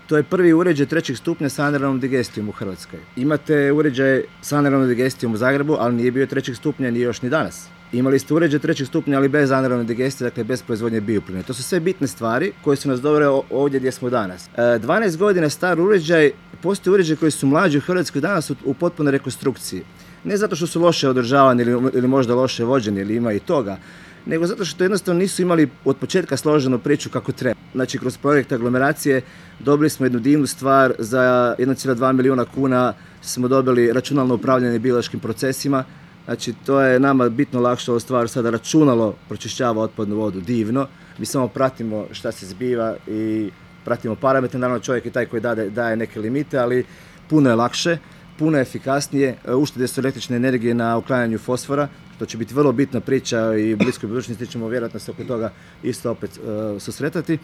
To je prvi uređaj 3. stupnja sa anaerobnom digestijom u Hrvatskoj. Imate uređaj sa anaerobnom digestijom u Zagrebu, ali nije bio 3. stupnja ni još ni danas. Imali ste uređaj 3. stupnja, ali bez anaerobne digestije, dakle bez proizvodnje bioplina. To su sve bitne stvari koje su nas dovele ovdje gdje smo danas. 12 godina star uređaj, postoje uređaji koji su mlađi u Hrvatskoj danas u potpunoj rekonstrukciji. Ne zato što su loše održavani ili možda loše vođeni, ili ima i toga, nego zato što jednostavno nisu imali od početka složenu priču kako treba. Znači, kroz projekt aglomeracije dobili smo jednu divnu stvar, za 1,2 milijuna kuna smo dobili računalno upravljanje biološkim procesima. Znači, to je nama bitno lakše stvar, sada računalo pročišćava otpadnu vodu divno. Mi samo pratimo šta se zbiva i pratimo parametre. Naravno, čovjek je taj koji daje neke limite, ali puno je lakše, puno je efikasnije. Uštede su električne energije na uklanjanju fosfora, što će biti vrlo bitna priča i u bliskoj budućnosti ćemo vjerojatno se oko toga isto opet susretati.